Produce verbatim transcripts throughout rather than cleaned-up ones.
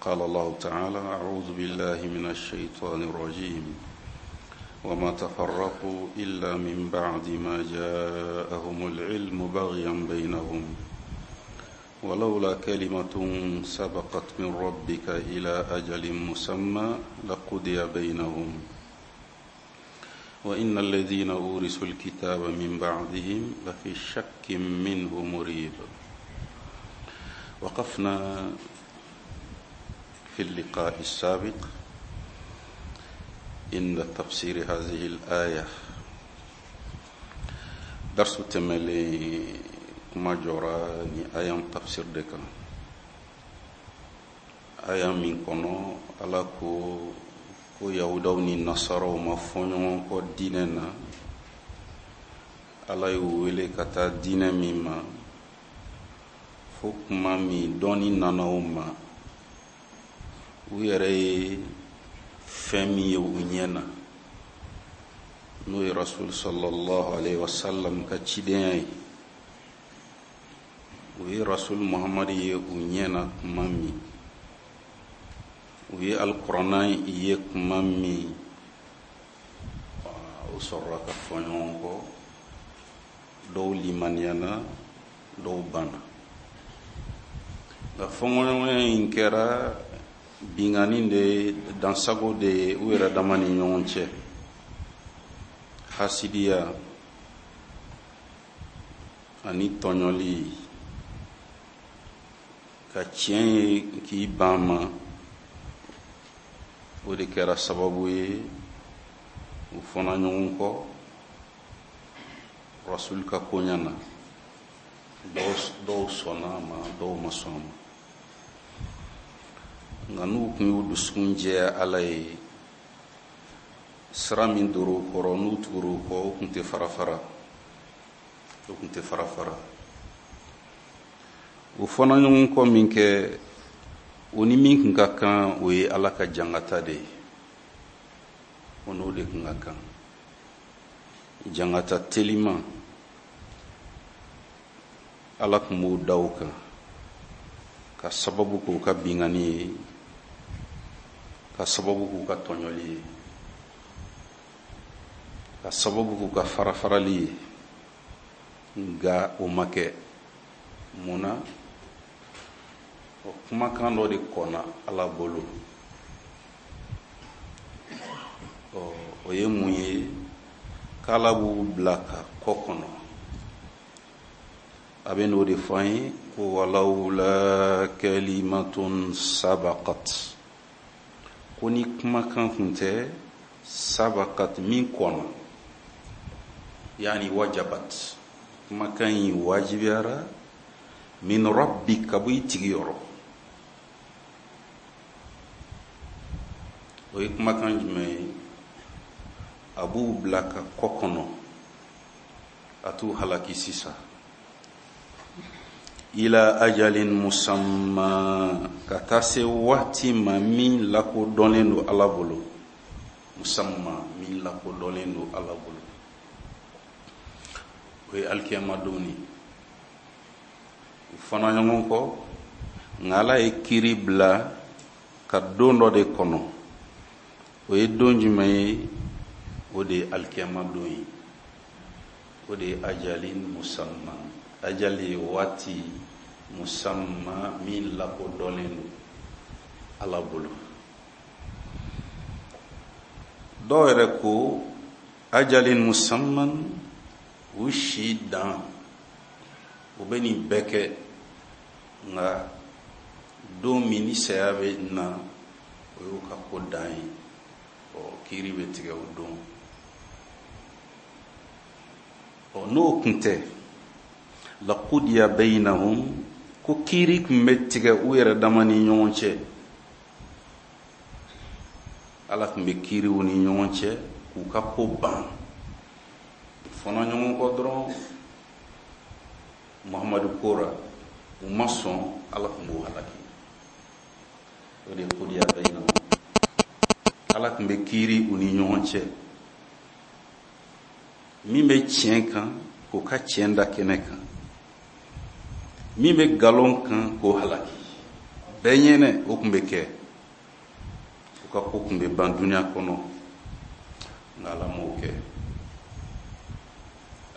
قال الله تعالى: أعوذ بالله من الشيطان الرجيم وما تفرقوا إلا من بعد ما جاءهم العلم بغيا بينهم ولولا كلمة سبقت من ربك إلى أجل مسمى لقضي بينهم وإن الذين أورثوا الكتاب من بعدهم لفي شك منه مريب. وقفنا في اللقاء السابق عند تفسير هذه الآية. درس تملي kuma jɔra ni aya tafsir de kan, aya min kɔnɔ Ala ko ko yahudaw ni nasaraw ma fɔ ɲɔgɔn kɔ diinɛ na. Ala y'u wele ka taa diinɛ min ma, fo kuma min dɔnni nana u ma, u yɛrɛ ye fɛn min ye u ɲɛ na, n'o ye Rasul sallallahu alaihi wasallam ka cidenya ye. U ye Rasul Muhammad ye u ɲɛ na kuma min, u ye alikuranna ye kuma min, u sɔrɔla ka fɔ ɲɔgɔn kɔ. Dɔw limaniyana, dɔw banna. Nka fɔɲɔgɔnya in kɛra binkanni de ye, dansago de ye u yɛrɛ dama ni ɲɔgɔn cɛ, hasidiya ani tɔɲɔli, ka tiɲɛ ye k'i ban ma. O de kɛra sababu ye u fɔna ɲɔgɔn kɔ Rasul ka koɲa na. Dɔw sɔnna a ma, dɔw ma sɔn a ma. Nka n'u tun y'u dusukun jɛya Ala ye, sira min dor'u kɔrɔ, n'u tugur'u kɔ, u tun tɛ fara fara, u tun tɛ fara fara. U fɔna ɲɔgɔn kɔ min kɛ, o ni min tun ka kan, o ye Ala ka jangata de ye. O n'o de tun ka kan, jangata teliman Ala tun b'o da u kan ka sababu k'u ka binkanni ye, ka sababu k'u ka tɔɲɔli ye, ka sababu k'u ka farafarali ye. Nka o ma kɛ. Mun na? O kumakan dɔ de kɔnna Ala bolo. Ɔ, o ye mun ye? K'Ala b'u bila ka kɔ kɔnɔ. A bɛ n'o de fɔ an ye ko walawla kalimatun sabaqat, ko ni kumakan tun tɛ, sabaqat min kɔnna, yaani wajabat, kumakan in wajibiyara, min rabbi, ka bɔ i tigi yɔrɔ. O ye kumakan jumɛn ye? A b'u bila ka kɔ kɔnɔ, a t'u halaki sisan. Ila ajalin musamma, ka taa se waati ma min lakodɔnnen don Ala bolo. Musamma, min lakodɔnnen don Ala bolo, o ye alikiyama don ye. U fana ɲɔgɔn kɔ, nka Ala ye kiiri bila ka don dɔ de kɔnɔ. O ye don jumɛn ye? O de ye alikiyama don ye. O de ye ajalin musamma. Ajali ye waati, musamma min lakodɔnnen don Ala bolo. Dɔw yɛrɛ ko ajalin musamman, u si dan, u bɛ nin bɛɛ kɛ, nka don min ni saya bɛ na, o y'u ka ko dan ye. Ɔ, kiiri bɛ tigɛ o don. Ɔ, n'o kun tɛ, laqudiya bainahum, ko kiiri tun bɛ tigɛ u yɛrɛ dama ni ɲɔgɔn cɛ. Ala tun bɛ kiiri u ni ɲɔgɔn cɛ k'u ka ko ban. U fɔna ɲɔgɔn kɔ dɔrɔn Muhammadu kora, u ma sɔn, Ala tun b'u halaki. O de ye qudiya bainahum. Ala tun bɛ kiiri u ni ɲɔgɔn cɛ. Min bɛ tiɲɛ kan, k'o ka tiɲɛ da kɛnɛ kan, min bɛ nkalon kan, k'o halaki. Bɛɛ ɲɛnɛ o tun bɛ kɛ. ka ko tun bɛ ban duniya kɔnɔ, nka Ala m'o kɛ.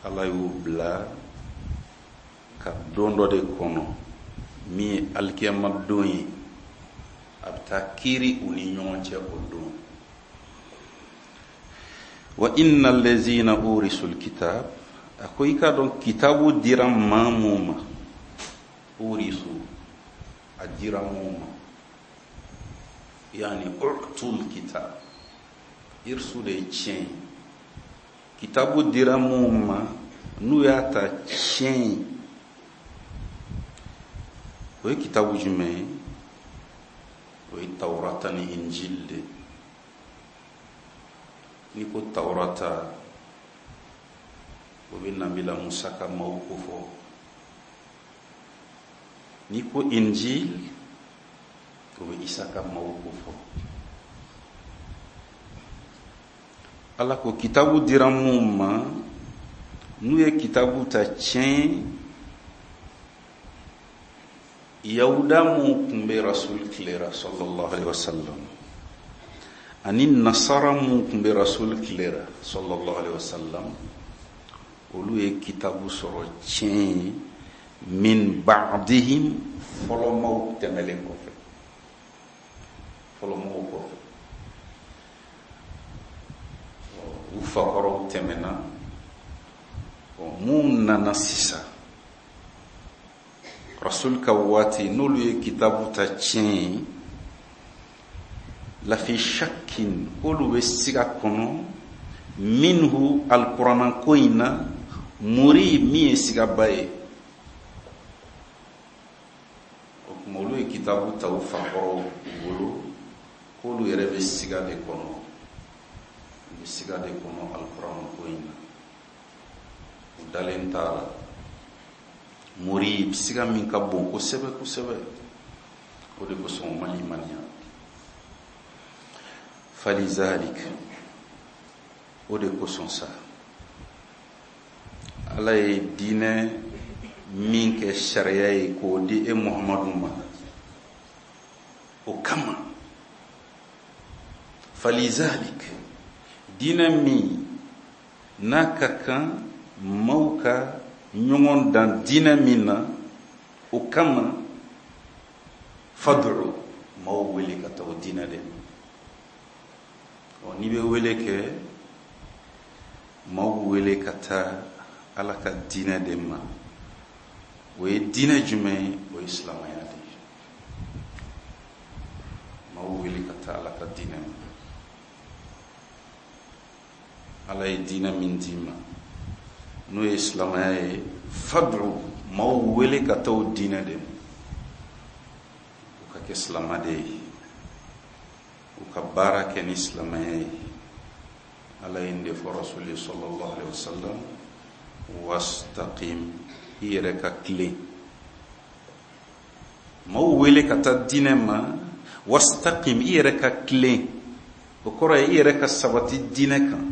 Ala y'u bila ka don dɔ de kɔnɔ min ye alikiyama don ye, a bɛ taa kiiri u ni ɲɔgɔn cɛ o don. Wa inna allazina urisul kitab, a ko i k'a dɔn kitabu dira maa mun ma, urisu a dira mun ma, yani utul kitab, irsu de ye tiɲɛ ye. Kitabu dira mun ma n'u y'a ta tiɲɛ ye, o ye kitabu jumɛn ye? O ye Tawurata ni Injil de. N'i ko Tawurata, o bɛ Nabila Musa ka maaw ko fɔ. N'i ko Injil, o bɛ Isa ka maaw ko fɔ. Ala ko kitabu dira mun ma n'u ye kitabu ta tiɲɛ, Yahuda mun tun bɛ Rasul tile la sallallahu alaihi wasallam, ani Nasara mun tun bɛ Rasul tile la sallallahu alaihi wasallam, olu ye kitabu sɔrɔ tiɲɛ ye min ba'dihim, fɔlɔmaw tɛmɛlen kɔfɛ, fɔlɔmaw kɔfɛ, u fakɔrɔw tɛmɛna. Mun nana sisan Rasul ka waati, n'olu ye kitabu ta tiɲɛ ye, lafi shakkin, k'olu bɛ siga kɔnɔ minhu alikuranna ko in na, muri min ye sigaba ye. O tuma olu ye kitabu ta u fakɔrɔw bolo, k'olu yɛrɛ bɛ siga de kɔnɔ, u bɛ siga de kɔnɔ alikuranna ko in na, u dalen t'a la. Muri siga min ka bon kosɛbɛ kosɛbɛ, o de kosɔn u ma limaniya. Falizalik, o de kosɔn sa Ala ye diinɛ min kɛ sariya ye k'o di e Muhamadu ma, o kama falizalik, diinɛ min n'a ka kan maaw ka ɲɔgɔn dan diinɛ min na, o kama fad'u, maaw wele ka taa o diinɛ de ma. Ɔ, n'i bɛ wele kɛ, maaw wele ka taa Ala ka diinɛ de ma. O ye diinɛ jumɛn ye? O ye silamɛya de ye. Maaw wele ka taa Ala ka diinɛ ma. Ala ye diinɛ min d'i ma n'o ye silamɛya ye, fad'u, maaw wele ka taa o diinɛ de ma, u ka kɛ silamɛ de ye, u ka baara kɛ ni silamɛya ye. Ala ye nin de fɔ Rasuli sallallahu alaihi wasallam, wastaqim, i yɛrɛ ka tilen. Maaw wele ka taa diinɛ ma, wastaqim, i yɛrɛ ka tilen. O kɔrɔ ye i yɛrɛ ka sabati diinɛ kan.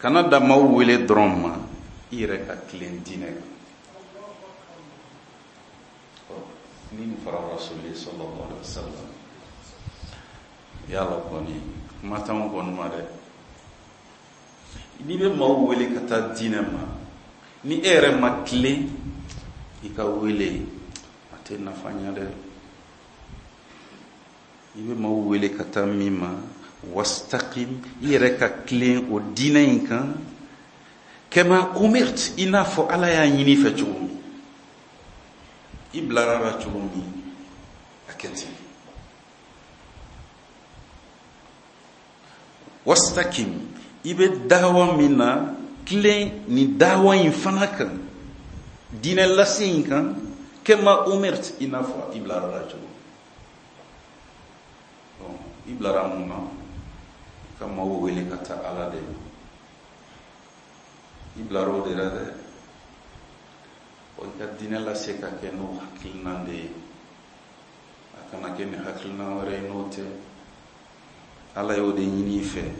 Kana da maaw wele dɔrɔn ma, i yɛrɛ ka tilen diinɛ kan. Ni nin fɔra Rasuli sallallahu alaihi wasallam, yala kɔni kuma t'anw kɔni ma dɛ. N'i bɛ maaw wele ka taa diinɛ ma, ni e yɛrɛ ma tilen, i ka wele a tɛ nafa ɲɛ dɛ. I bɛ maaw wele ka taa min ma, wastaqim, i yɛrɛ ka tilen o diinɛ in kan, kama umirt, i n'a fɔ Ala y'a ɲini i fɛ cogo min, i bilara la cogo min, a kɛ ten. Wastaqim, i bɛ dawa min na, tilen nin dawa in fana kan, diinɛ lase in kan, kama umirt, i n'a fɔ i bilara la cogo min. I bilara mun na? Ka maaw wele ka taa Ala de ma. I bilara o de la dɛ. O i ka diinɛ lase ka kɛ n'o hakilina de ye, a kana kɛ ni hakilina wɛrɛ ye n'o tɛ. Ala y'o de ɲini i fɛ.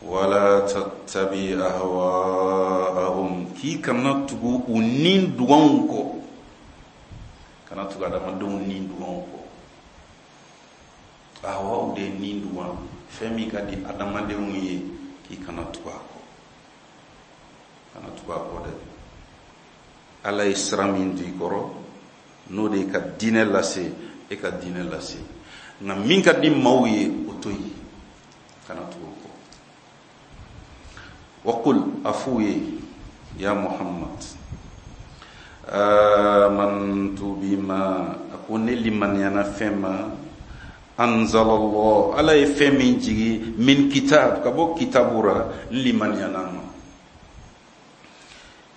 Wala tattabi ahwaahum, k'i kana tugu u ni duganw kɔ, kana tugu adamadenw ni duganw kɔ. Ahawaw de ye nin duwa, fɛn min ka di adamadenw ye, k'i kana tugu a kɔ, kana tugu a kɔ dɛ. Ala ye sira min di i kɔrɔ, n'o de ye ka diinɛ lase, e ka diinɛ lase. Nka min ka di maaw ye, o to yen, kana tugu o kɔ. Waqul, a f'u ye, ya Muhammad, amantu bima, a ko ne limaniyana fɛn ma, anzalallah, Ala ye fɛn min jigi, min kitab, ka bɔ kitabu ra, n limaniyana ma.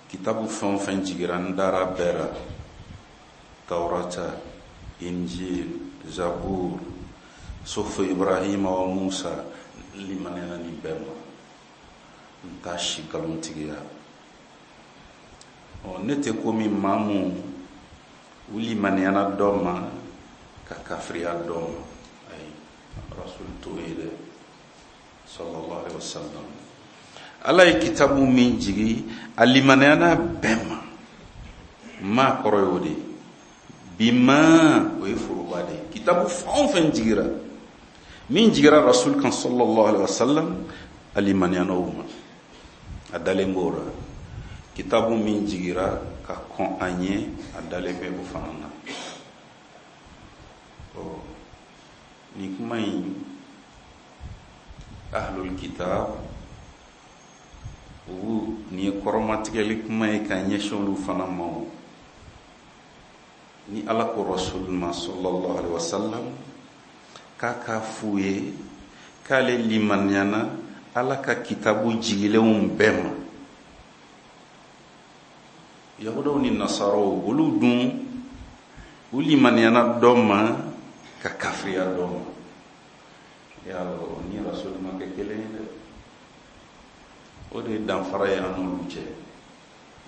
Kitabu fɛn o fɛn jigira, n dara bɛɛ ra, Taurata, Injil, Zabur, Sufu Ibrahima wa Musa, n limaniyana nin bɛɛ ma, n t'a si nkalontigiya. Ɔ, ne tɛ komi maa mun u limaniyana dɔ ma ka kafiriya dɔ ma. Ayi, Rasul t'o ye dɛ, sallallahu alaihi wasallam. Ala ye kitabu min jigi, a limaniyana bɛɛ ma. Maa kɔrɔ y'o de ye. Bima, o ye foroba de ye. Kitabu fɛn o fɛn jigira, min jigira Rasul kan sallallahu alaihi wasallam, a limaniyana o ma, a dalen b'o la. Kitabu min jigira ka kɔn a ɲɛ, a dalen bɛ o fana na. Ɔ, nin kuma in, ahlul kitab, olu, nin ye kɔrɔmatigɛli kuma ye ka ɲɛsin olu fana ma. O ni Ala ko Rasul ma sallallahu alaihi wasallam k'a k'a f'u ye k'ale limaniyana Ala ka kitabu jigilenw bɛɛ ma. Yahudaw ni Nasaraw, olu dun, u limaniyana dɔ ma ka kafiriya dɔ ma. Yala o ni Rasul ma kɛ kelen ye dɛ. O de ye danfara ye an n'olu cɛ.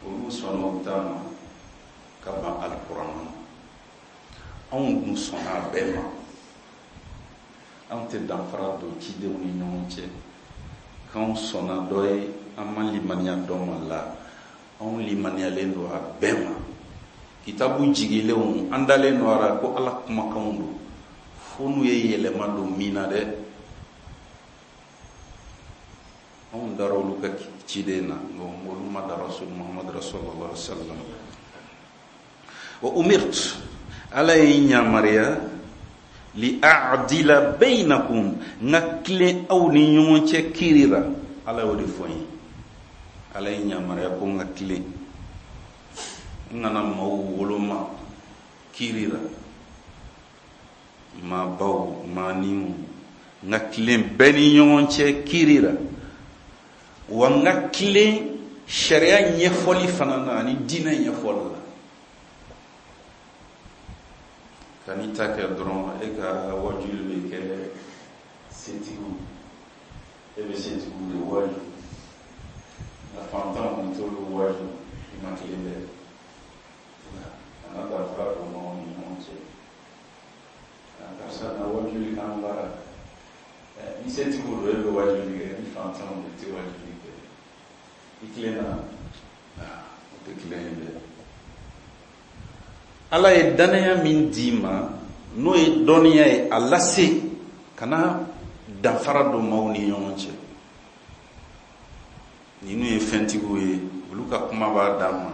Olu sɔnna u ta ma ka ban alikuranɛ ma. Anw dun sɔnna a bɛɛ ma. Anw tɛ danfara don cidenw ni ɲɔgɔn cɛ. K'anw sɔnna dɔ ye, an ma limaniya dɔ ma la. Anw limaniyalen don a bɛɛ ma. Kitabu jigilenw, an dalen don a la ko Ala kumakanw don. Fo n'u ye yɛlɛma don min na dɛ. Anw dara olu ka ciden na, nka olu ma da Rasul Muhammad sallallahu alaihi wasallam. Wa umirtu, Ala ye n yamaruya, li a'dila bainakum, n ka tilen aw ni ɲɔgɔn cɛ kiiri la. Ala y'o de fɔ n ye. Ala ye n yamaruya ko n ka tilen, n kana maaw woloma kiiri la, maabaw, maaninw, n ka tilen bɛɛ ni ɲɔgɔn cɛ kiiri la. Wa n ka tilen sariya ɲɛfɔli fana na ani diinɛ ɲɛfɔli la. Ka n'i ta kɛ dɔrɔn, e ka wajuli bɛ kɛ setigiw, e bɛ setigiw de waju, nka fantanw i t'olu waju, i ma tilen dɛ. Kana danfara don maaw ni ɲɔgɔn cɛ. Karisa na wajuli k'an baara, ni setigiw don e bɛ wajuli kɛ, ni fantanw don i tɛ wajuli kɛ. I tilenna, o tɛ tilen ye dɛ. Ala ye danaya min d'i ma, n'o ye dɔnniya ye, a lase, kana danfara don maaw ni ɲɔgɔn cɛ. Ninnu ye fɛntigiw ye, olu ka kuma b'a dan ma.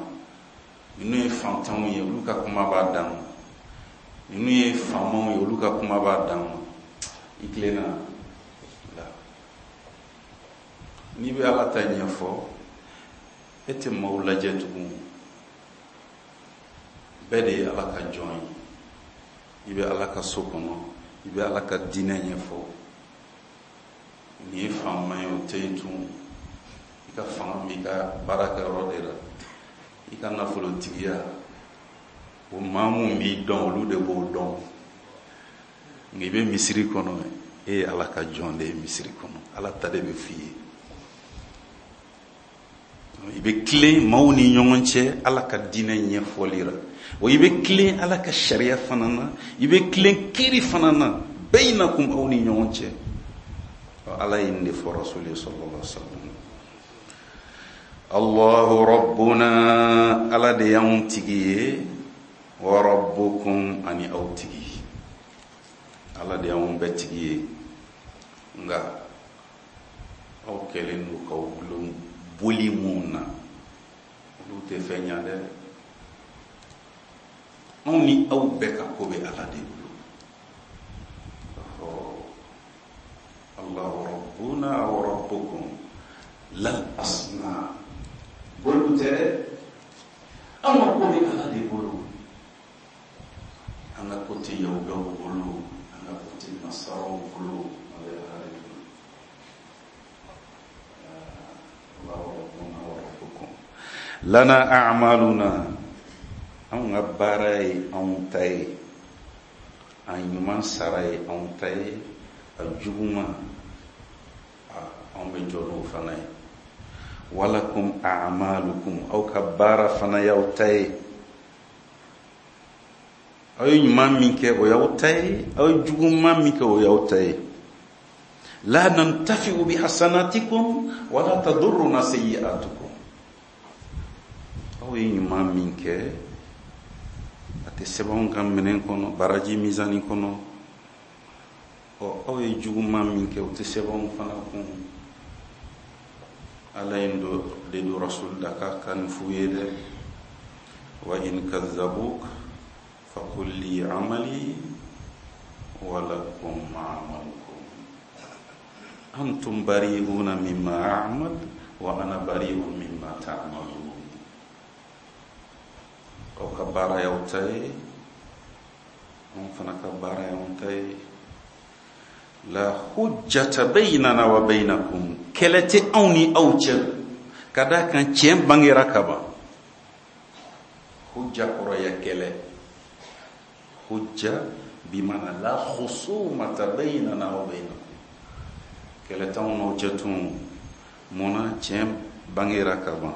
Ninnu ye fantanw ye, olu ka kuma b'a dan ma. Ninnu ye faamaw ye, olu ka kuma b'a dan ma. I tilenna la. N'i bɛ Ala ta ɲɛfɔ, e tɛ maaw lajɛ tugun. Bɛɛ de ye Ala ka jɔn ye. I bɛ Ala ka so kɔnɔ, i bɛ Ala ka diinɛ ɲɛfɔ. Nin ye faama ye, o tɛ yen tun. I ka fanga b'i ka baarakɛyɔrɔ de la, i ka nafolotigiya, o maa mun b'i dɔn, olu de b'o dɔn. Nka i bɛ misiri kɔnɔ, e ye Ala ka jɔn de ye misiri kɔnɔ, Ala ta de bɛ f'i ye. I bɛ tilen maaw ni ɲɔgɔn cɛ Ala ka diinɛ ɲɛfɔli la. Wa i bɛ tilen Ala ka sariya fana na, i bɛ tilen kiiri fana na, bainakum, aw ni ɲɔgɔn cɛ. Ala ye nin de fɔ Rasul ye sallallahu alaihi wasallam. Allahu rabbuna, Ala de y'anw tigi ye, wa rabbukum, ani aw tigi. Ala de y'anw bɛɛ tigi ye, nka aw kɛlen don k'aw gulon boli mun na, olu tɛ fɛn ɲa dɛ. Anw ni aw bɛɛ ka ko bɛ Ala de bolo. Allahu rabbuna wa rabbukum lal asnam, boliw tɛ dɛ, anw ka ko bɛ Ala de bolo. An ka ko tɛ yahudaw bolo, an ka ko tɛ nasaraw bolo, a bɛ Ala de bolo. Allahu rabbuna wa rabbukum lana a'maluna, anw ka baara ye anw ta ye, a ɲuman sara ye anw ta ye, a juguman anw bɛ jɔ n'o fana ye. Walakum a'malukum, aw ka baara fana y'aw ta ye. Aw ye ɲuman min kɛ o y'aw ta ye, aw ye juguman min kɛ o y'aw ta ye. La nantafi'u bi hasanatikum wala tadurruna sayyi'atukum, aw ye ɲuman min kɛ a tɛ sɛbɛn anw ka minɛn kɔnɔ, baraji mizani kɔnɔ. Ɔ, aw ye juguman min kɛ o tɛ sɛbɛn anw fana kun. Ala ye de don rasul da k'a ka nin f'u ye dɛ. Wa in kazzabuk faqul li amali wa lakum amalukum antum bari'una mimma a'mal wa ana bari'un mimma ta'malun. Aw ka baara y'aw ta ye, anw fana ka baara y'anw ta ye. La hujjata baynana wa baynakum, kɛlɛ tɛ anw ni aw cɛ, ka d'a kan tiɲɛ bangera ka ban. Hujja kɔrɔ ye kɛlɛ. Hujja bimana la khusumata baynana wa baynakum, kɛlɛ t'anw n'aw cɛ tun. Munna? Tiɲɛ bangera ka ban.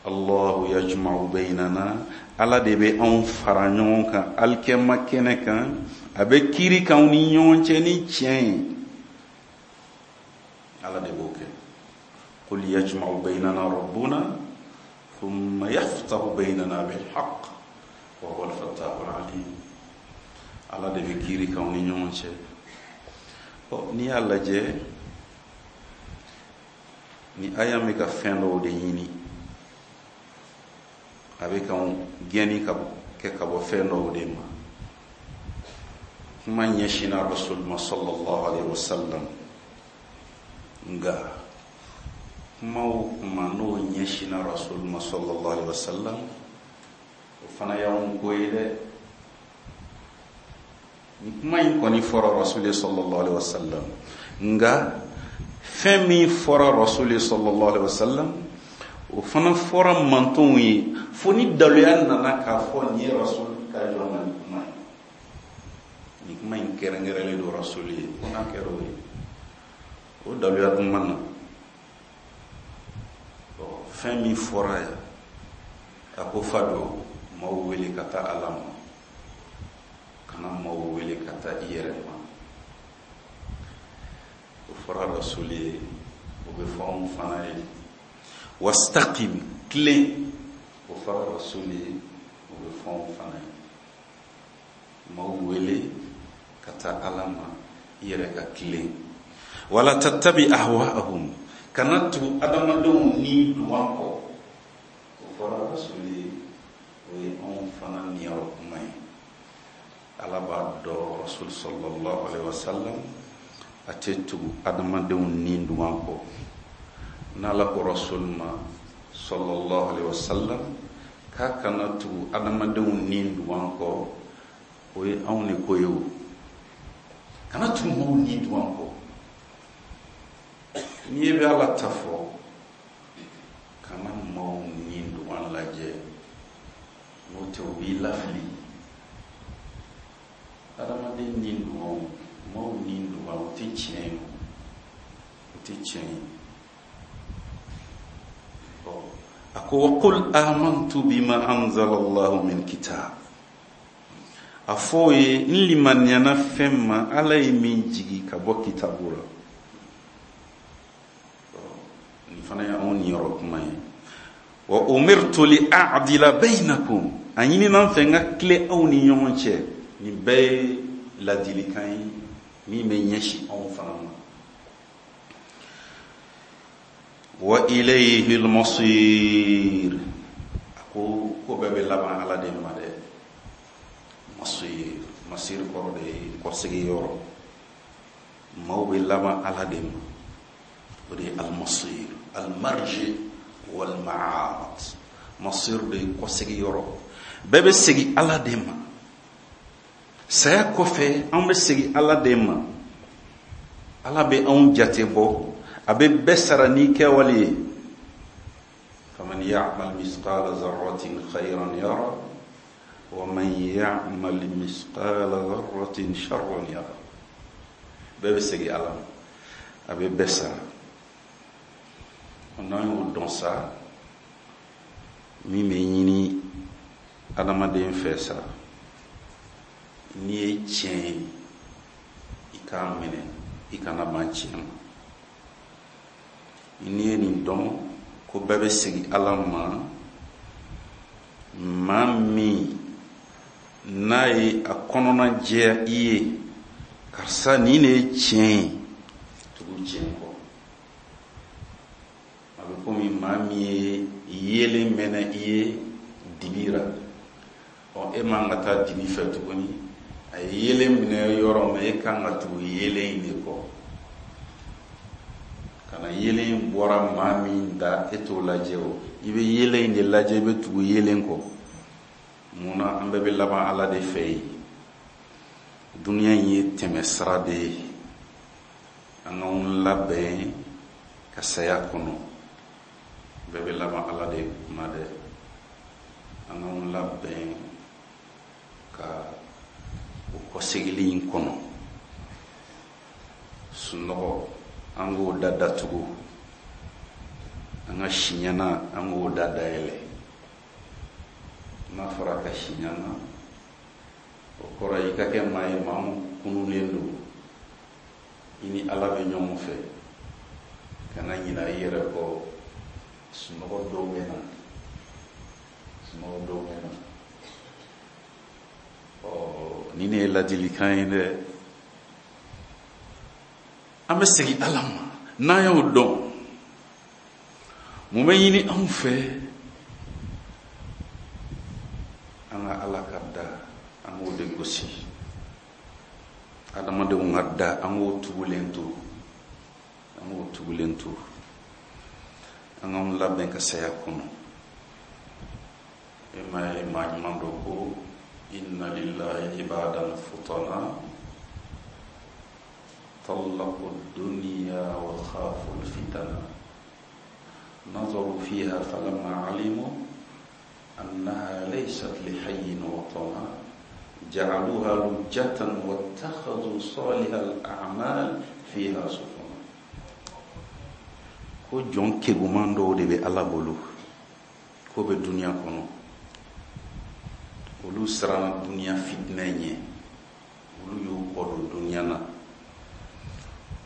Allahu yajma'u baynana, Ala de bɛ anw fara ɲɔgɔn kan alikɛma kɛnɛ kan, a bɛ kiiri k'anw ni ɲɔgɔn cɛ ni tiɲɛ ye. Ala de b'o kɛ. Qul yajma'u baynana rabbuna thumma yaftahu baynana bil haqq wa huwa al-fattahu al-alim. Ala de bɛ kiiri k'anw ni ɲɔgɔn cɛ. Ɔ, n'i y'a lajɛ, ni aya bɛ ka fɛn dɔw de ɲini, a bɛ k'anw gɛnni ka kɛ ka bɔ fɛn dɔw de ma. Kuma ɲɛsinna Rasul ma sallallahu alaihi wasallam, nka kuma o kuma n'o ɲɛsinna Rasul ma sallallahu alaihi wasallam, o fana y'anw ko ye dɛ. Ni kuma in kɔni fɔra Rasul sallallahu alaihi wasallam, nka fɛn min fɔra Rasul sallallahu alaihi wasallam, o fana fɔra mantonw ye, fo ni daluya nana k'a fɔ nin ye Rasul ka jɔn na nin kuma ye. Nin kuma in kɛrɛnkɛrɛnlen don Rasul ye, fo n'a kɛra o ye, o daluya dun ma na. Fɛn min fɔra yan, a ko fa don maaw wele ka taa Ala ma, kana maaw wele ka taa i yɛrɛ ma. O fɔra Rasul ye, o bɛ fɔ anw fana ye. Wastaqim, tilen, o fɔra Rasul ye, o bɛ fɔ anw fana ye. Maaw wele ka taa Ala ma, i yɛrɛ ka tilen. Wala tattabi ahwa'ahum, kana tugu adamadenw ni duwan kɔ. O fɔra Rasul ye, o ye anw fana niyɔrɔ kuma ye. Ala b'a dɔn Rasul sallallahu alaihi wasallam a tɛ tugu adamadenw ni duwan kɔ. N'Ala ko Rasul ma sallallahu alaihi wasallam k'a kana tugu adamadenw ni duwan kɔ, o ye anw de ko ye o. Kana tugu maaw ni duwan kɔ. N'i bɛ Ala ta fɔ, kana maaw ni duwan lajɛ, n'o tɛ u b'i lafili. Adamaden ni duwanw, maaw ni duwan, o tɛ tiɲɛ ye, o tɛ tiɲɛ ye. A ko wa qul amantu bima anzala Allahu min kitab, a fɔ o ye n limaniyana fɛn ma Ala ye min jigi ka bɔ kitabu la. Nin fana ye anw niyɔrɔ kuma ye. Wa umirtu li a'dila baynakum, a ɲinina n fɛ n ka tile aw ni ɲɔgɔn cɛ. Nin bɛɛ ye ladilikan ye min bɛ ɲɛsin anw fana ma. Wa ilayhi al-masir, a ko ko bɛɛ bɛ laban Ala de ma dɛ. Masir, masir kɔrɔ de ye kɔsegin yɔrɔ. Maaw bɛ laban Ala de ma, o de ye al-masir, al-marji wal-ma'ad. Masir de ye kɔsegin yɔrɔ, bɛɛ bɛ segin Ala de ma. Saya kɔfɛ an bɛ segin Ala de ma. Ala bɛ anw jate bɔ, a bɛ bɛɛ sara n'i kɛwale ye. Faman ya'mal misqala zarratin khayran yara wa man ya'mal misqala zarratin sharran yara. Bɛɛ bɛ segin Ala ma, a bɛ bɛɛ sara. N'an y'o dɔn sa, min bɛ ɲini adamaden fɛ sa, n'i ye tiɲɛ ye i k'a minɛ, i kana ban tiɲɛ ma. N'i ye nin dɔn ko bɛɛ bɛ segin Ala ma, maa min n'a ye a kɔnɔna jɛya i ye, karisa nin de ye tiɲɛ ye, tugu tiɲɛ kɔ. A bɛ komi maa min ye yeelen mɛnɛ i ye dibi ra, ɔ e man ka taa dibi fɛ tuguni. A ye yeelen minɛ yɔrɔ min, e kan ka tugu yeelen in de kɔ. Kana yeelen in bɔra maa min da, e t'o lajɛ o, i bɛ yeelen in de lajɛ, i bɛ tugu yeelen kɔ. Munna an bɛɛ bɛ laban Ala de fɛ yen. Dunuya in ye tɛmɛsira de ye, an k'anw labɛn ka saya kɔnɔ. Bɛɛ bɛ laban Ala de ma dɛ. An k'anw labɛn ka o kɔsegili in kɔnɔ. Sunɔgɔ an k'o da datugu, an ka siɲɛna an k'o da dayɛlɛ. N'a fɔra ka siɲɛna, o kɔrɔ i ka kɛ maa ye maa min kununnen don, i ni Ala bɛ ɲɔgɔn fɛ. Kana ɲinɛ i yɛrɛ kɔ. Sunɔgɔ dɔw bɛ na, sunɔgɔ dɔw bɛ na. Ɔ nin de ye ladilikan ye dɛ. An bɛ segin Ala ma n'an y'o dɔn. Mun bɛ ɲini anw fɛ? An ka Ala ka da, an k'o de gosi. Adamadenw ka da, an k'o tugulen to, an k'o tugulen to. An k'anw labɛn ka saya kɔnɔ. E ma ye maa ɲuman dɔ ko inna lillahi ibadan futana طلقوا الدنيا وخافوا الفتن نظروا فيها فلما علموا أنها ليست لحي وطنا جعلوها لجة واتخذوا صالح الأعمال فيها سفنا. Ko jɔn keguman dɔw de bɛ Ala bolo k'o bɛ dunuya kɔnɔ, olu siranna dunuya fitinɛ ɲɛ, olu y'u kɔ don dunuya na.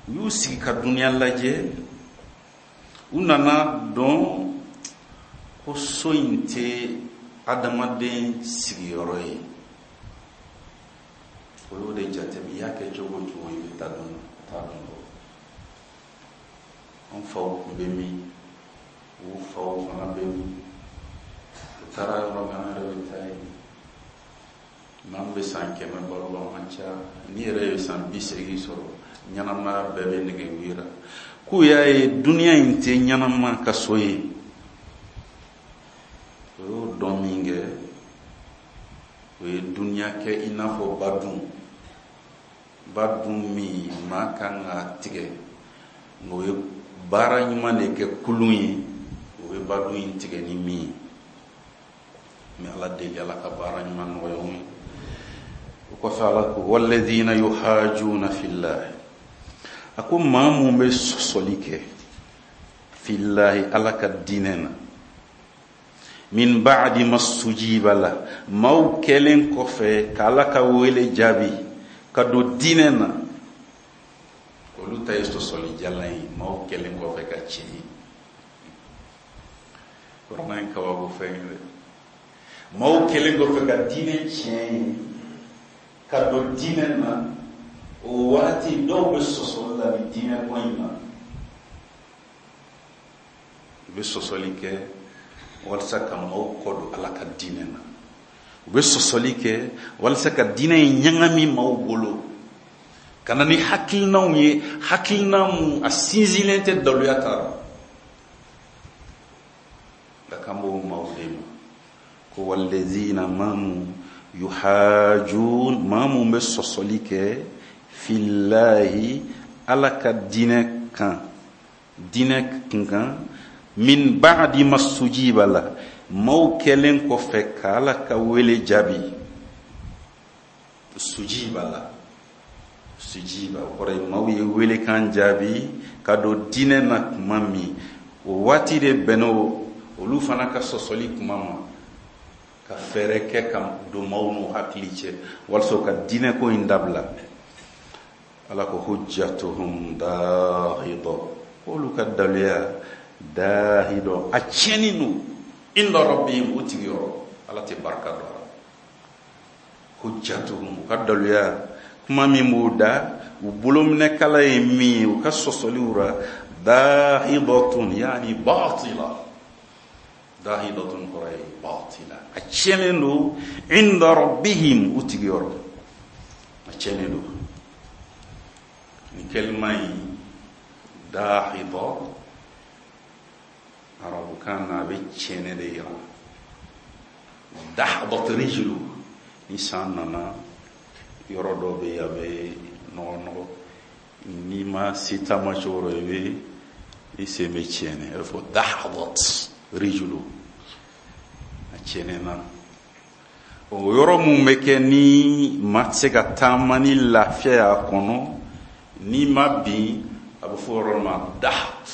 U y'u sigi ka dunuya lajɛ, u nana dɔn ko so in tɛ adamaden sigiyɔrɔ ye. O y'o de jateminɛ, i y'a kɛ cogo o cogo i bɛ taa dɔn taa dɔn dɔn. An faw tun bɛ min, u faw fana bɛ min, u taara yɔrɔ min an yɛrɛ bɛ taa yen. N'an bɛ san kɛmɛ balo la, an ca. N'i yɛrɛ ye san bi seegin sɔrɔ, ɲɛnamaya bɛɛ bɛ nege wira. K'u y'a ye dunuya in tɛ ɲɛnama ka so ye. O y'o dɔn min kɛ, o ye dunuya kɛ i n'a fɔ badun. Badun min maa kan ka tigɛ, nka o ye baara ɲuman de kɛ kulun ye, o bɛ badun in tigɛ ni min ye. N bɛ Ala deli, Ala ka baara ɲuman nɔgɔya anw ye. O kɔfɛ Ala ko walladhina yuhajuna fillahi, a ko maa mun bɛ sɔsɔli kɛ fillahi Ala ka diinɛ na, min ba'di mastujiba la, maaw kɛlen kɔfɛ ka Ala ka wele jaabi ka don diinɛ na, olu ta ye sɔsɔli jalan ye, maaw kɛlen kɔfɛ ka tiɲɛ ye. Kuranɛ ye kabako fɛn ye dɛ. Maaw kɛlen kɔfɛ ka diinɛ tiɲɛ ye, ka don diinɛ na, o waati dɔw bɛ sɔsɔli la ni diinɛ ko in na. U bɛ sɔsɔli kɛ walasa ka maaw kɔ don Ala ka diinɛ na. U bɛ sɔsɔli kɛ walasa ka diinɛ in ɲagami maaw bolo, ka na ni hakilinaw ye, hakilina mun a sinsinlen tɛ daluya ta la. Nka k'an b'o maaw de ma ko walazina maa mun yuhajun, maa mun bɛ sɔsɔli kɛ filahi Ala ka diinɛ kan, diinɛ kunkan, min ba'di masujiba la, maaw kɛlen kɔfɛ ka Ala ka wele jaabi. Sujiba la, sujiba o kɔrɔ ye maaw ye welekan jaabi ka don diinɛ na tuma min, o waati de bɛnna olu fana ka sɔsɔli kuma ma, ka fɛɛrɛ kɛ ka don maaw n'u hakili cɛ walasa u ka diinɛ ko in dabila. Ala ko hujjatuhum dahida, k'olu ka daluya dahida, a tiɲɛni don inda rabbihim, u tigi yɔrɔ, Ala tɛ barika don a la. Hujjatuhum, u ka daluya kuma min b'u da, u bolominɛkala ye min ye, u ka sɔsɔliw ra, dahidatun yani batila, dahidatun kɔrɔ ye batila, a tiɲɛnen don inda rabbihim, u tigi yɔrɔ, a tiɲɛnen don. Nin kalima in dahida arabukan na a bɛ tiɲɛnen de yira. Dahdat rijlu, ni san nana yɔrɔ dɔ bɛ yen a bɛ nɔgɔ nɔgɔ, n'i ma se taama cogo dɔ i bɛ i sen bɛ tiɲɛnen, a bɛ fɔ dahdat rijlu, a tiɲɛnen na. O yɔrɔ mun bɛ kɛ ni maa tɛ se ka taama ni lafiya y'a kɔnɔ, n'i ma bin, a bɛ fɔ yɔrɔ ma dahd,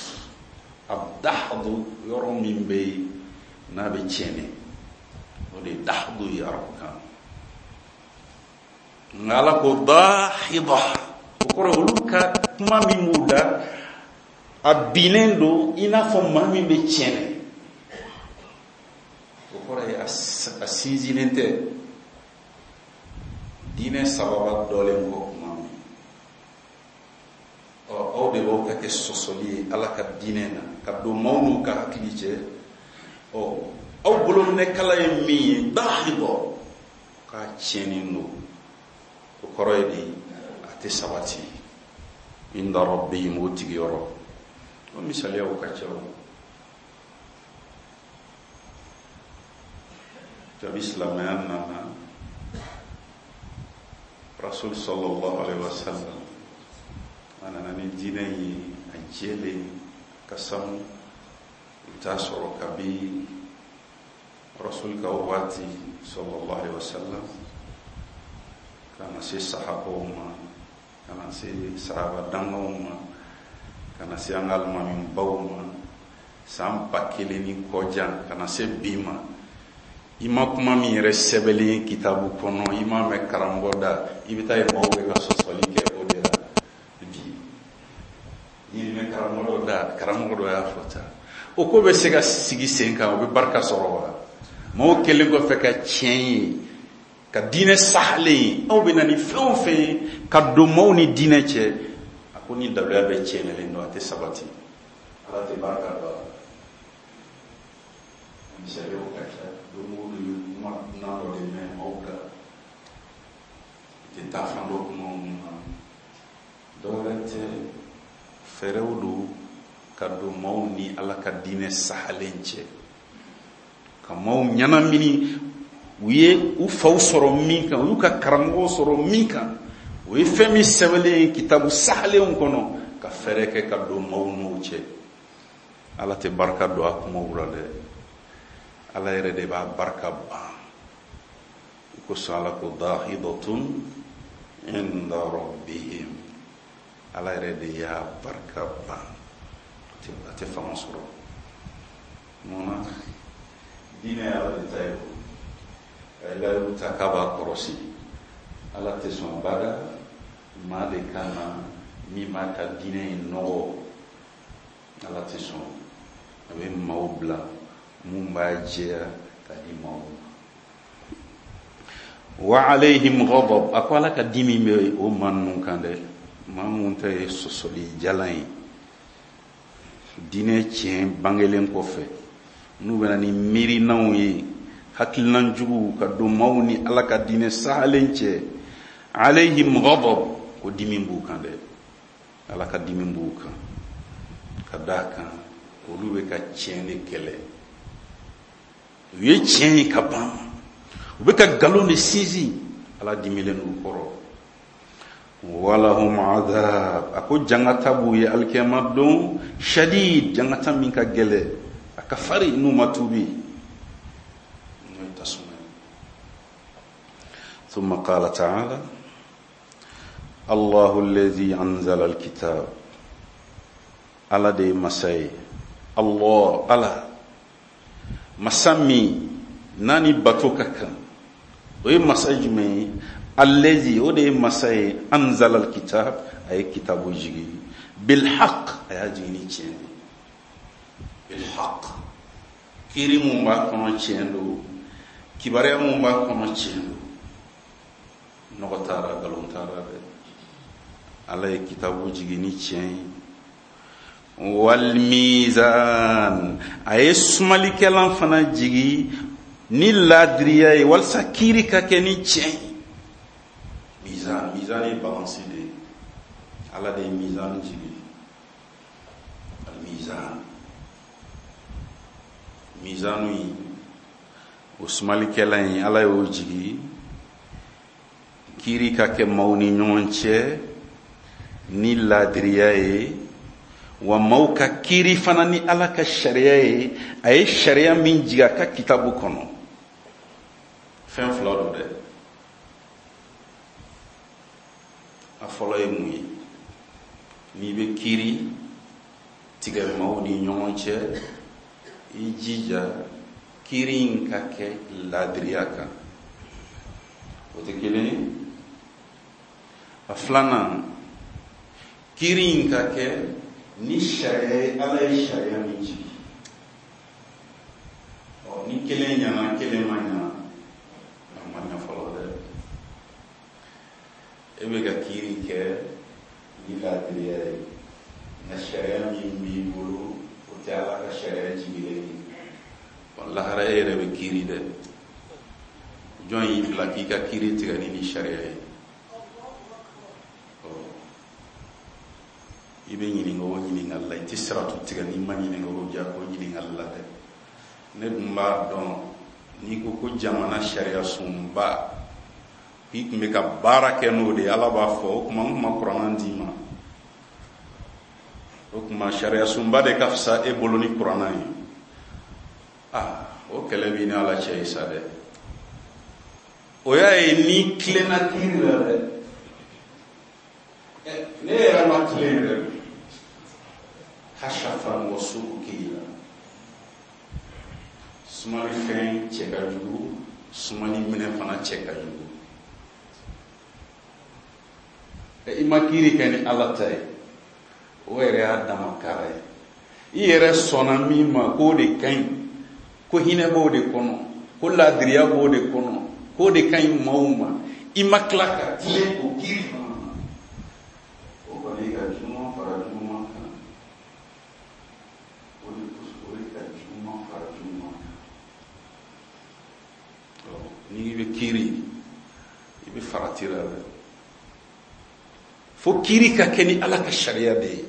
a dahdu, yɔrɔ min bɛ yen n'a bɛ tiɲɛnen, o de ye dahdu ye arabukan. Nka Ala ko dahida, o kɔrɔ olu ka kuma min b'u da, a binnen don i n'a fɔ maa min bɛ tiɲɛnen, o kɔrɔ ye a sinsinnen tɛ. Diinɛ sababa dɔlen kɔ kuma min, ɔ aw de b'aw ka kɛ sɔsɔli ye Ala ka diinɛ na, ka don maaw n'u ka hakili cɛ. Ɔ aw bolominɛkala ye min ye, dahida, k'a tiɲɛnen don, o kɔrɔ ye di a tɛ sabati inda rabbihim, o tigi yɔrɔ. O misaliyaw ka ca o. Kabi silamɛya nana, Rasul sallallahu alaihi wasallam a nana ni diinɛ ye a jɛlen ka sanu. I bɛ taa sɔrɔ kabi Rasul ka waati sallallahu alaihi wasallam ka na se sahabaw ma, ka na se sahaba dangaw ma, ka na se an ka alimamibaw ma, san ba kelen ni kɔjan ka na se bi ma, i ma kuma min yɛrɛ sɛbɛnlen ye kitabu kɔnɔ, i m'a mɛn karamɔgɔ da, i bɛ taa ye maaw bɛ ka sɔsɔli kɛ o de la bi. N'i mɛn karamɔgɔ dɔ da, karamɔgɔ dɔ y'a fɔ tan, o ko bɛ se ka sigi sen kan, o bɛ barika sɔrɔ wa? Maaw kɛlen kɔfɛ ka tiɲɛ ye, ka diinɛ sahalen ye, aw bɛ na ni fɛn o fɛn ye ka don maaw ni diinɛ cɛ, a ko ni daluya bɛ tiɲɛnen don, a tɛ sabati, Ala tɛ barika don a la. Misaliyaw ka ca, don o don i bɛ kuma dunan dɔ de mɛn maaw da, i tɛ taa fan dɔ kuma mun na, dɔwɛrɛ tɛ, fɛɛrɛw don ka don maaw ni Ala ka diinɛ sahalen cɛ, ka maaw ɲɛnamini. U ye u faw sɔrɔ min kan, u y'u ka karamɔgɔw sɔrɔ min kan, o ye fɛn min sɛbɛnlen ye kitabu sahalenw kɔnɔ, ka fɛɛrɛ kɛ ka don maaw n'o cɛ. Ala tɛ barika don a kumaw la dɛ, Ala yɛrɛ de b'a barika ban. O kosɔn Ala ko dahidatun inda rabbihim, Ala yɛrɛ de y'a barika ban, a tɛ fanga sɔrɔ. Mun na? Diinɛ ye Ala de ta ye, a ye layiru ta k'a b'a kɔrɔsi, Ala tɛ sɔn bada maa de ka na min b'a ka diinɛ in nɔgɔ, Ala tɛ sɔn. A bɛ maaw bila mun b'a jɛya ka di maaw ma. Wa alayhim ghadab, a ko Ala ka dimi bɛ o maa ninnu kan dɛ, maa minnu ta ye sɔsɔli jalan ye diinɛ tiɲɛ bangelen kɔfɛ, n'u bɛna ni miirinaw ye, hakilina juguw ka don maaw ni Ala ka diinɛ sahalen cɛ. Alayhim ghadab, ko dimi b'u kan dɛ, Ala ka dimi b'u kan, ka d'a kan olu bɛ ka tiɲɛ de kɛlɛ, u ye tiɲɛ ye ka ban, u bɛ ka nkalon de sinsin, Ala dimilen d'u kɔrɔ. Walahum adhab, a ko jangata b'u ye alikiyama don, shadid, jangata min ka gɛlɛ, a ka farin n'u ma tuubi, n'o ye tasuma ye. Thumma qala ta'ala Allahu alladhi anzala alkitab, Ala de ye masa ye, Allah, Ala masa min n'a ni bato ka kan, o ye masa jumɛn ye? Allazi, o de ye masa ye, anzala alkitab, a ye kitabu jigi, bilhaq, a y'a jigi ni tiɲɛ de, bilhaq, kiiri mun b'a kɔnɔ tiɲɛ don, kibaruya mun b'a kɔnɔ tiɲɛ don, nɔgɔ t'a la, nkalon t'a la dɛ. Ala ye kitabu jigi ni tiɲɛ ye. Wal mizan, a ye sumalikɛlan fana jigi ni laadiriya ye, walasa kiiri ka kɛ ni tiɲɛ ye. Mizan, mizan ye balansi de ye, Ala de ye mizan jigi. Al mizan, mizanu ye o sumalikɛlan ye, Ala y'o jigi kiiri ka kɛ maaw ni ɲɔgɔn cɛ ni laadiriya ye, wa maaw ka kiiri fana ni Ala ka sariya ye, a ye sariya min jigi a ka kitabu kɔnɔ. Fɛn fila don dɛ. A fɔlɔ ye mun ye? N'i bɛ kiiri tigɛ maaw ni ɲɔgɔn cɛ, i jija kiiri in ka kɛ laadiriya kan, o tɛ kelen ye. A filanan, kiiri in ka kɛ ni sariya ye, Ala ye sariya min jigi. Ɔ, ni kelen ɲana, kelen ma ɲana, a ma ɲa fɔlɔ dɛ. E bɛ ka kiiri kɛ ni laadiriya ye, nka sariya min b'i bolo o tɛ Ala ka sariya jigilen ye. Lahara e yɛrɛ bɛ kiiri dɛ. Jɔn y'i bila k'i ka kiiri tigɛ ni ni sariya ye? I bɛ ɲininka o ɲininkali la, i tɛ siratu tigɛ n'i ma ɲininka o ja o ɲininkali la dɛ. Ne dun b'a dɔn n'i ko ko jamana sariya sunba k'i tun bɛ ka baara kɛ n'o de ye, Ala b'a fɔ o tuma n tun ma kuranɛ d'i ma, o tuma sariya sunba de ka fisa e bolo ni kuranɛ ye. Ah, o kɛlɛ b'i ni Ala cɛ ye sa dɛ. O y'a ye n'i tilenna kiiri la dɛ, ne yɛrɛ ma tilen yɛrɛ, hashafan wa su'u kila, sumalifɛn cɛ ka jugu, sumali minɛ fana cɛ ka jugu. I ma kiiri kɛ ni Ala ta ye, o yɛrɛ y'a dama kara ye. I yɛrɛ sɔnna min ma k'o de ka ɲi, ko hinɛ b'o de kɔnɔ, ko laadiriya b'o de kɔnɔ, k'o de ka ɲi maaw ma, i ma tila ka tilen o kiiri fana na, o kɔni ka juguman fara juguman kan, o de o de ka juguman fara juguman kan. N'i bɛ kiiri, i bɛ farati la dɛ. Fo kiiri ka kɛ ni Ala ka sariya de ye,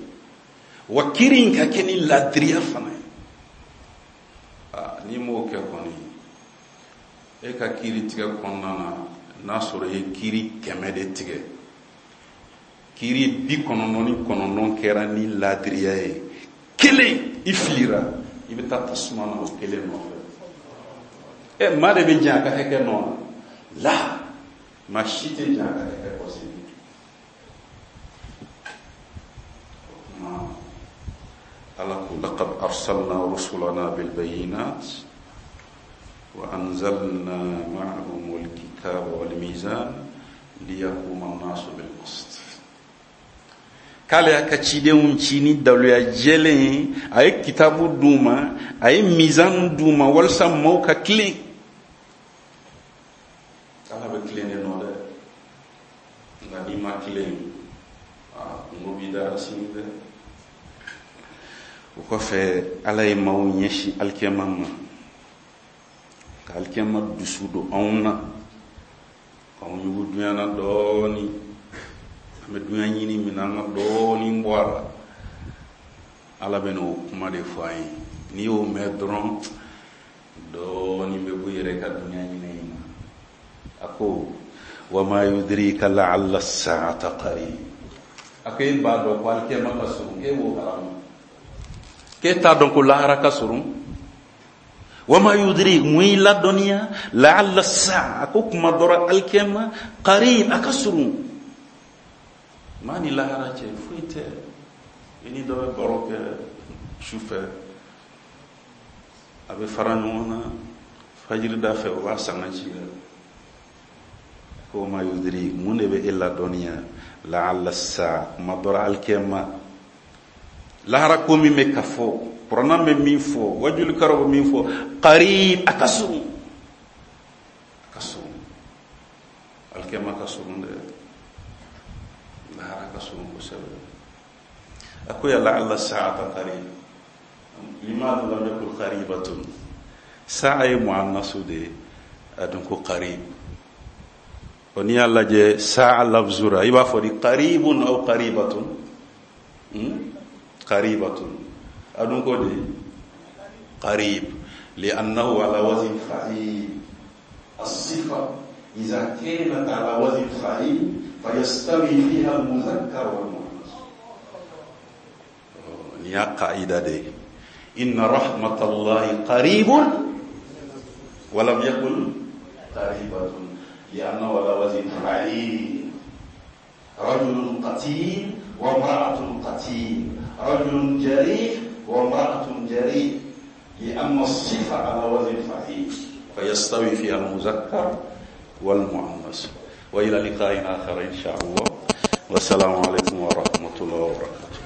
wa kiiri in ka kɛ ni laadiriya fana ye. Aa, n'i m'o kɛ kɔni, e ka kiiri tigɛ kɔnɔna na, n'a sɔrɔ i ye kiiri kɛmɛ de tigɛ, kiiri bi kɔnɔntɔn ni kɔnɔntɔn kɛra ni laadiriya ye, kelen i filira, i bɛ taa tasuma na o kelen nɔfɛ. Ɛ, maa de bɛ jɛn a ka hakɛ nɔ na? La, maa si tɛ jɛn a ka hakɛ kɔ sini. Ala ko laqad arsalna rusulana bil bayinat wa anzalna ma'ahum al kitaba wal mizan liyaquma an-nasu bil qist. K'ale y'a ka cidenw ci ni daluya jɛlen ye, a ye kitabu d'u ma, a ye mizan d'u ma walasa maaw ka tilen. Ala bɛ tilen ma tilen aa kungo b'i dara sini dɛ. O kɔfɛ Ala ye maaw ɲɛsin alikiyama ma, ka alikiyama dusu don anw na, k'anw ɲugu dunya na dɔɔni, an bɛ dunya ɲini min na, an ka dɔɔni bɔ a la. Ala bɛ n'o kuma de fɔ an ye. N'i y'o mɛn dɔrɔn dɔɔni bɛ bɔ i yɛrɛ ka dunya ɲini in na. A ko wama yudrika la'alla as-sa'ata qarib. A ko e b'a dɔn ko alikiyama ka surun, k'e b'o kalama, k'e t'a dɔn ko lahara ka surun. Wama yudrik, mun y'i ladɔnniya, la'alla as-sa'a, a ko kuma dɔ la alikiyama qarib, a ka surun. Maa ni lahara cɛ foyi tɛ. I ni dɔ bɛ baro kɛ su fɛ, a bɛ fara ɲɔgɔn na fajiri da fɛ, o b'a sanga ci la. Ko ma yudrik, mun de bɛ e ladɔnniya, la'alla as-sa'a, kuma dɔ la alikiyama, lahara ko min bɛ ka fɔ, kuranna bɛ min fɔ, wajulikaraw bɛ min fɔ, qarib, a ka surun, a ka surun, alikiyama ka surun dɛ, lahara ka surun kosɛbɛ. A ko ya la'alla as-sa'ata qarib, limadha lam yakul qaribatun, sa'a ye muannasu de ye, a dun ko qarib. O n'i y'a lajɛ sa'a lafzura, i b'a fɔ di qaribun aw qaribatun, qaribatun, a dun ko di qarib, li'annahu ala wazn fa'il. As-sifa idha kanat ala wazn fa'il fayastawi fiha al-muzakkar wal muannas. Nin y'a qaida de ye. Inna rahmatallahi qaribun wa lam yakul qaribatun li'annahu ala wazn fa'il. Rajulun qatil wa imra'atun qatil, rajulun jarih wa imra'atun jarih, li'anna as-sifa ala wazn fa'il fayastawi fiha al-muzakkar wal muannas. Wa ila liqa'in akhar insha Allah. Wassalamu alaykum wa rahmatullahi wa barakatuh.